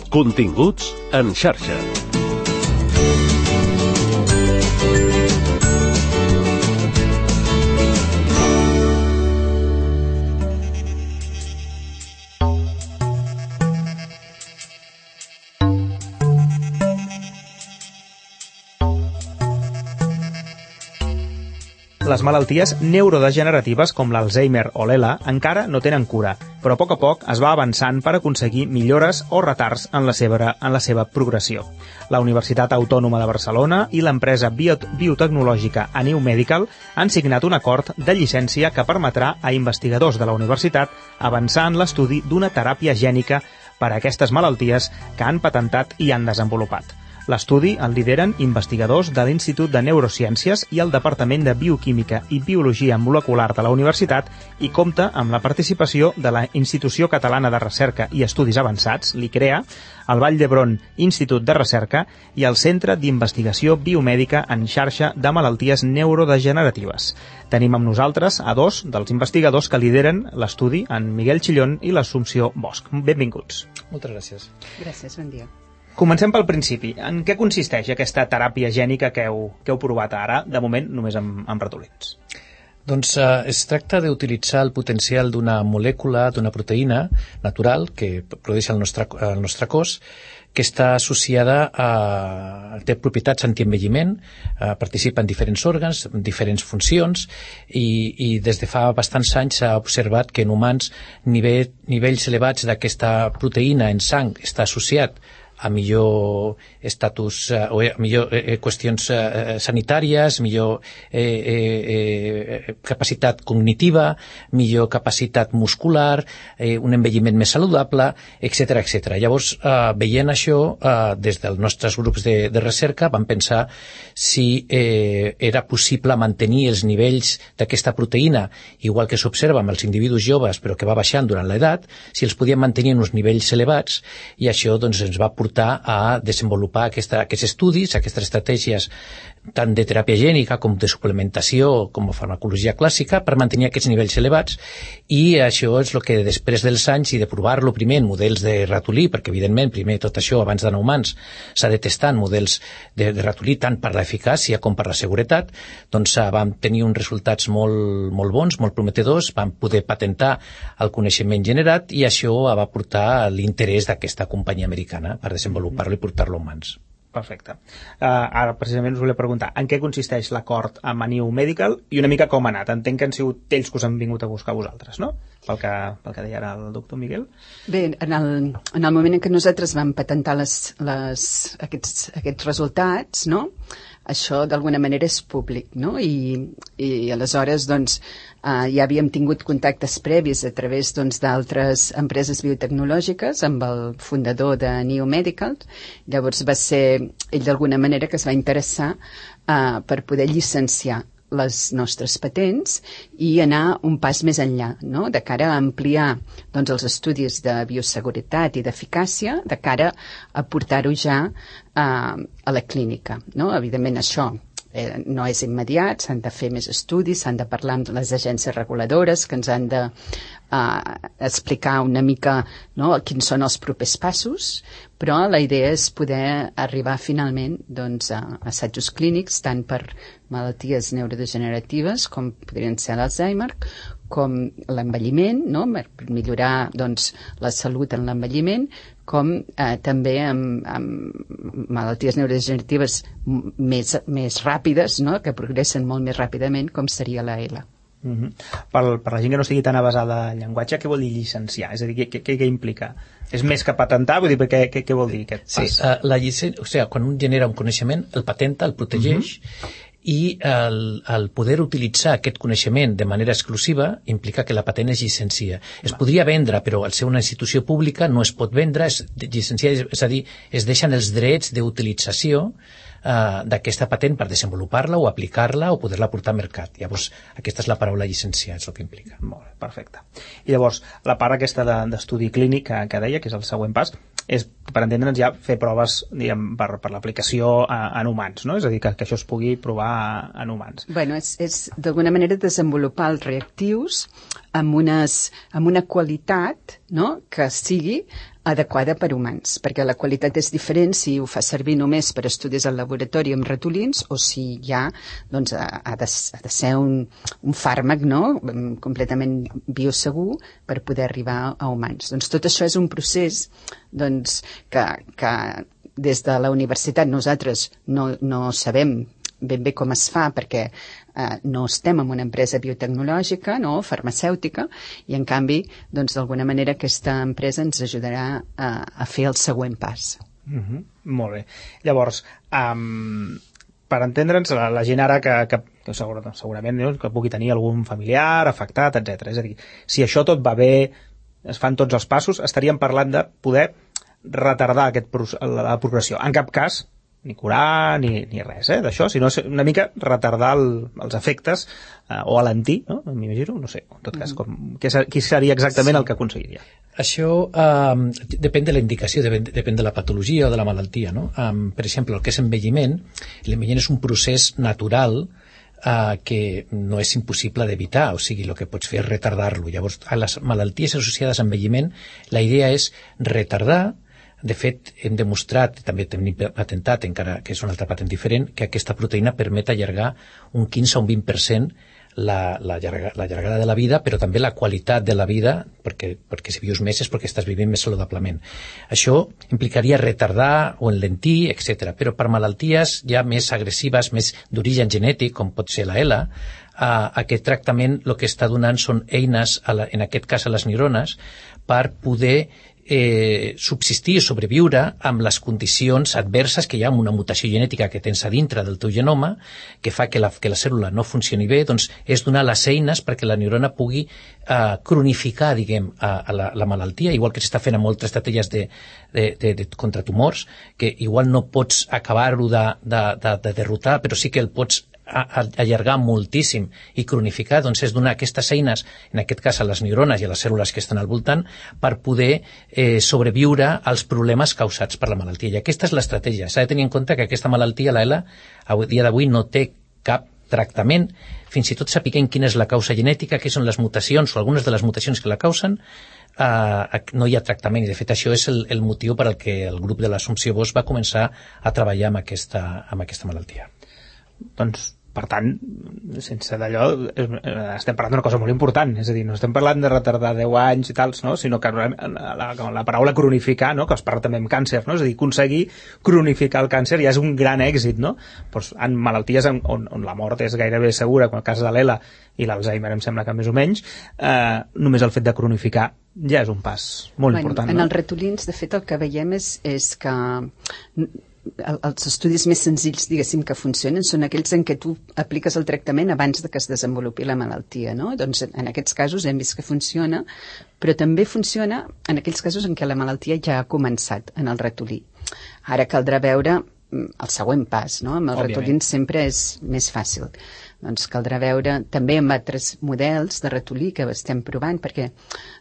Continguts en xarxa. Les malalties neurodegeneratives com l'Alzheimer o l'ELA encara no tenen cura, però a poc es va avançant per aconseguir millores o retards en la seva progressió. La Universitat Autònoma de Barcelona i l'empresa biotecnològica Aniu Medical han signat un acord de llicència que permetrà a investigadors de la universitat avançar en l'estudi d'una teràpia gènica per a aquestes malalties que han patentat i han desenvolupat. L'estudi el lideren investigadors de l'Institut de Neurociències i el Departament de Bioquímica i Biologia Molecular de la Universitat i compta amb la participació de la Institució Catalana de Recerca i Estudis Avançats, l'ICREA, el Vall d'Hebron Institut de Recerca i el Centre d'Investigació Biomèdica en Xarxa de Malalties Neurodegeneratives. Tenim amb nosaltres a dos dels investigadors que lideren l'estudi, en Miguel Chillón i l'Assumpció Bosch. Benvinguts. Moltes gràcies. Gràcies, bon dia. Comencem pel principi. En què consisteix aquesta teràpia gènica que heu provat ara, de moment només amb ratolins? Doncs es tracta d'utilitzar el potencial d'una molècula, d'una proteïna natural que produeix el nostre cos, que està associada té propietats antienvelliment, participa en diferents òrgans, en diferents funcions, i des de fa bastants anys s'ha observat que en humans nivells elevats d'aquesta proteïna en sang està associat a millor estatus o a millor qüestions sanitàries, millor capacitat cognitiva, millor capacitat muscular, un envelliment més saludable, etc etc. Llavors, veient això, des dels nostres grups de recerca vam pensar si era possible mantenir els nivells d'aquesta proteïna, igual que s'observa amb els individus joves, però que va baixant durant l'edat, si els podíem mantenir en uns nivells elevats, i això doncs, ens va portar a desenvolupar aquests estudis, aquestes estratègies tant de teràpia gènica com de suplementació, com a farmacologia clàssica, per mantenir aquests nivells elevats, i això és el que després dels anys i de provar-lo primer en models de ratolí, perquè evidentment primer tot això abans d'anar a humans s'ha de testar en models de ratolí tant per l'eficàcia com per la seguretat, doncs vam tenir uns resultats molt bons, molt prometedors, vam poder patentar el coneixement generat i això va portar l'interès d'aquesta companyia americana per desenvolupar-lo i portar-lo a humans. Perfecte. Ara precisament us volia preguntar en què consisteix l'acord amb Aniu Medical i una mica com ha anat. Entenc que han sigut ells que us han vingut a buscar vosaltres, no? Pel que deia ara el doctor Miguel. Bé, en el moment en què nosaltres vam patentar aquests resultats, no? Això d'alguna manera és públic, no? I aleshores doncs ja havíem tingut contactes previs a través d'altres empreses biotecnològiques amb el fundador de Aniu Medical. Llavors va ser ell d'alguna manera que es va interessar per poder llicenciar les nostres patents i anar un pas més enllà, no? De cara a ampliar els estudis de bioseguretat i d'eficàcia, de cara a portar-ho ja a la clínica, no? Evidentment això no és immediat, s'han de fer més estudis, s'han de parlar amb les agències reguladores que ens han de explicar una mica, no, quins són els propers passos, però la idea és poder arribar finalment a assajos clínics tant per malalties neurodegeneratives com podrien ser l'Alzheimer, com l'envelliment, no, per millorar la salut en l'envelliment, com també amb malalties neurodegeneratives més ràpides, no, que progressen molt més ràpidament, com seria la ELA. Per la gent que no estigui tan avasada al llenguatge, què vol dir llicenciar? És a dir, què implica? És més que patentar? Vull dir, què vol dir aquest pas? Sí, la llicència, quan un genera un coneixement, el patenta, el protegeix, i el poder utilitzar aquest coneixement de manera exclusiva implica que la patent es llicencia. Es podria vendre, però al ser una institució pública no es pot vendre, es llicencia, és a dir, es deixen els drets d'utilització d'aquesta patent per desenvolupar-la o aplicar-la o poder-la portar al mercat. Llavors, aquesta és la paraula llicenciar, és el que implica. Molt bé, perfecte. I llavors, la part aquesta d'estudi clínic que deia, que és el següent pas, és, per entendre'ns, ja fer proves, diguem, per l'aplicació en humans, no? És a dir, que això es pugui provar en humans. Bueno, és d'alguna manera desenvolupar els reactius amb una qualitat, no?, que sigui adequada per humans, perquè la qualitat és diferent si ho fa servir només per estudis al laboratori amb ratolins o si ja doncs, ha de ser un fàrmac, no?, completament biosegur per poder arribar a humans. Doncs tot això és un procés doncs, que des de la universitat nosaltres no sabem ben bé com es fa perquè no estem en una empresa biotecnològica, no, farmacèutica, i en canvi, doncs d'alguna manera aquesta empresa ens ajudarà a fer el següent pas. Molt bé. Llavors, per entendre'ns, la gent ara que segurament que pugui tenir algun familiar afectat, etc. És a dir, si això tot va bé, es fan tots els passos, estaríem parlant de poder retardar la progressió. En cap cas ni curar ni res d'això, sinó una mica retardar els efectes o alentir, no? M'imagino, no sé, en tot cas, què seria exactament el que aconseguiria? Això depèn de la indicació, depèn de la patologia o de la malaltia, no? Per exemple, el que és l'envelliment és un procés natural que no és impossible d'evitar, o sigui, el que pots fer és retardar-lo. Llavors, a les malalties associades a envelliment, la idea és retardar. De fet, hem demostrat, també tenim patentat, encara que és una altra patent diferent, que aquesta proteïna permet allargar un 15 o un 20% la llargada de la vida, però també la qualitat de la vida, perquè si vius més és perquè estàs vivint més saludablement. Això implicaria retardar o enlentir, etc. Però per malalties ja més agressives, més d'origen genètic, com pot ser la ELA, aquest tractament el que està donant són eines, en aquest cas a les neurones, per poder subsistir o sobreviure amb les condicions adverses que hi ha amb una mutació genètica que tens a dintre del teu genoma, que fa que la cèl·lula no funcioni bé, doncs és donar les eines perquè la neurona pugui cronificar, diguem, la malaltia, igual que s'està fent amb moltes estratègies contra tumors, que igual no pots acabar-ho de derrotar, però sí que el pots allargar moltíssim i cronificar, doncs és donar aquestes eines, en aquest cas a les neurones i a les cèl·lules que estan al voltant, per poder sobreviure als problemes causats per la malaltia. I aquesta és l'estratègia. S'ha de tenir en compte que aquesta malaltia, la ELA, a dia d'avui no té cap tractament, fins i tot sapiguem quina és la causa genètica, què són les mutacions o algunes de les mutacions que la causen, no hi ha tractament, i de fet això és el motiu per al que el grup de l'Assumpció Bosch va començar a treballar amb aquesta malaltia. Doncs, per tant, sense d'allò, estem parlant d'una cosa molt important, és a dir, no estem parlant de retardar 10 anys i tals, no? Sinó que la paraula cronificar, no? Que es parla també amb càncer, no? És a dir, aconseguir cronificar el càncer ja és un gran èxit, no? Pues, en malalties on la mort és gairebé segura, com el cas de l'ELA i l'Alzheimer em sembla que més o menys, només el fet de cronificar ja és un pas molt important. En els ratolins, de fet, el que veiem és que els estudis més senzills, diguéssim, que funcionen són aquells en què tu apliques el tractament abans de que es desenvolupi la malaltia, no? Doncs en aquests casos hem vist que funciona, però també funciona en aquells casos en què la malaltia ja ha començat en el ratolí. Ara caldrà veure el següent pas, no? Amb els ratolins sempre és més fàcil. Doncs caldrà veure també amb altres models de ratolí que estem provant, perquè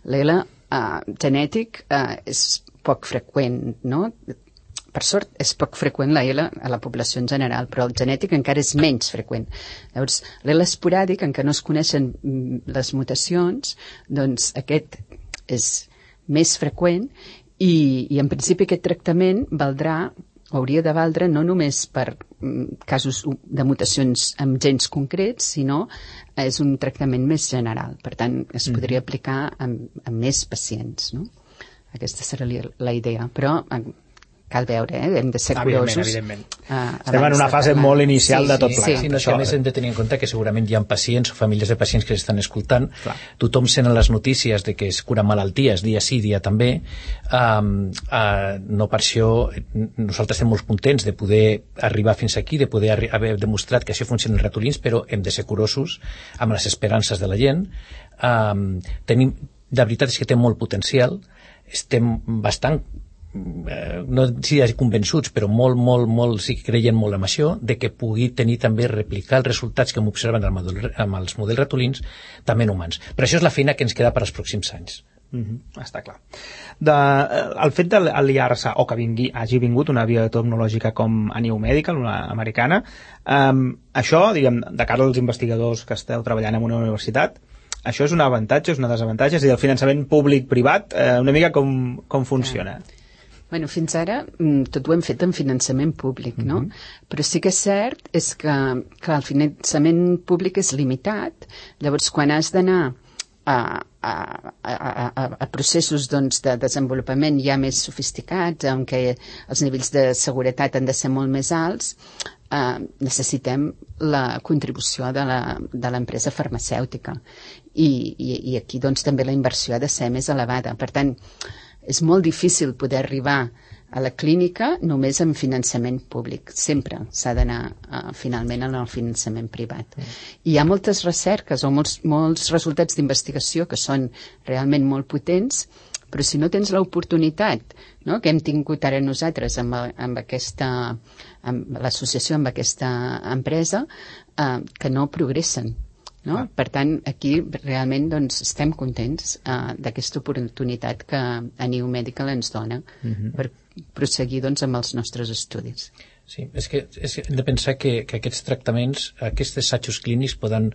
l'ELA genètic és poc freqüent, no? Per sort, és poc freqüent la ELA a la població en general, però el genètic encara és menys freqüent. Llavors, l'ELA esporàdic, en què no es coneixen les mutacions, doncs aquest és més freqüent i en principi aquest tractament hauria de valdre no només per casos de mutacions amb gens concrets, sinó és un tractament més general. Per tant, es podria aplicar a més pacients, no? Aquesta seria la idea. Però cal veure, hem de ser curosos. Evidentment. Estem en una fase molt inicial de tot plegat. Sí, a més hem de tenir en compte que segurament hi ha pacients o famílies de pacients que s'estan escoltant. Clar. Tothom sent les notícies de que es curen malalties dia sí, dia també. No per això nosaltres estem molt contents de poder arribar fins aquí, de poder haver demostrat que això funciona en ratolins, però hem de ser curosos amb les esperances de la gent. La veritat és que té molt potencial. Estem bastant no si convençuts, però molt sí que creien molt en això, de que pugui tenir també replicar els resultats que hem observat amb els models ratolins també en humans. Però això és la feina que ens queda per als pròxims anys. Està clar. El fet d'aliar-se o que hagi vingut una biotecnològica com a New Medical, una americana, això, diguem, de cara als investigadors que esteu treballant en una universitat, això és un avantatge, és una desavantatge, és a dir, el finançament públic-privat, una mica com funciona? Bueno, fins ara tot ho hem fet en finançament públic, no? Però sí que és cert és que el finançament públic és limitat. Llavors, quan has d'anar a processos doncs, de desenvolupament ja més sofisticats, en què els nivells de seguretat han de ser molt més alts, necessitem la contribució de l'empresa farmacèutica. I aquí doncs, també la inversió ha de ser més elevada. Per tant, és molt difícil poder arribar a la clínica només amb finançament públic. Sempre s'ha d'anar finalment en el finançament privat. I hi ha moltes recerques o molts resultats d'investigació que són realment molt potents, però si no tens l'oportunitat, no?, que hem tingut ara nosaltres amb l'associació amb aquesta empresa, que no progressen. No? Per tant, aquí realment doncs, estem contents d'aquesta oportunitat que a New Medical ens dona per proseguir doncs, amb els nostres estudis. Sí, és que hem de pensar que aquests tractaments, aquests assajos clínics poden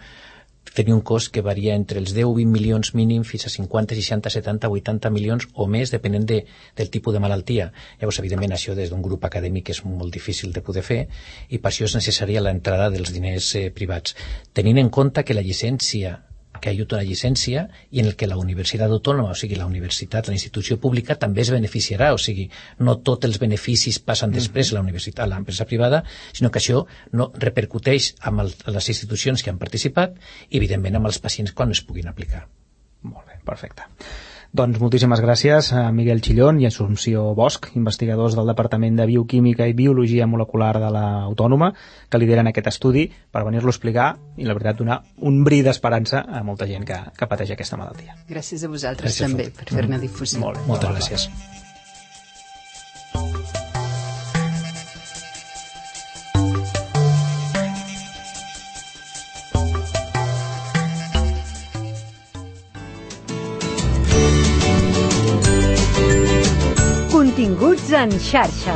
tenir un cost que varia entre els 10 o 20 milions mínim fins a 50, 60, 70, 80 milions o més, depenent del tipus de malaltia. Llavors, evidentment, això des d'un grup acadèmic és molt difícil de poder fer i per això és necessària l'entrada dels diners privats. Tenint en compte que la llicència que hi ha una llicència i en el que la universitat autònoma, o sigui, la universitat, la institució pública, també es beneficiarà, o sigui, no tots els beneficis passen després a la universitat, a l'empresa privada, sinó que això no repercuteix amb les institucions que han participat i, evidentment, amb els pacients quan es puguin aplicar. Molt bé, perfecte. Doncs moltíssimes gràcies a Miguel Chillón i Assumpció Bosch, investigadors del Departament de Bioquímica i Biologia Molecular de l'Autònoma, que lideren aquest estudi per venir-lo a explicar i, la veritat, donar un bri d'esperança a molta gent que pateix aquesta malaltia. Gràcies a vosaltres també per fer-ne difusió. Molt bé, moltes gràcies. Continguts en xarxa.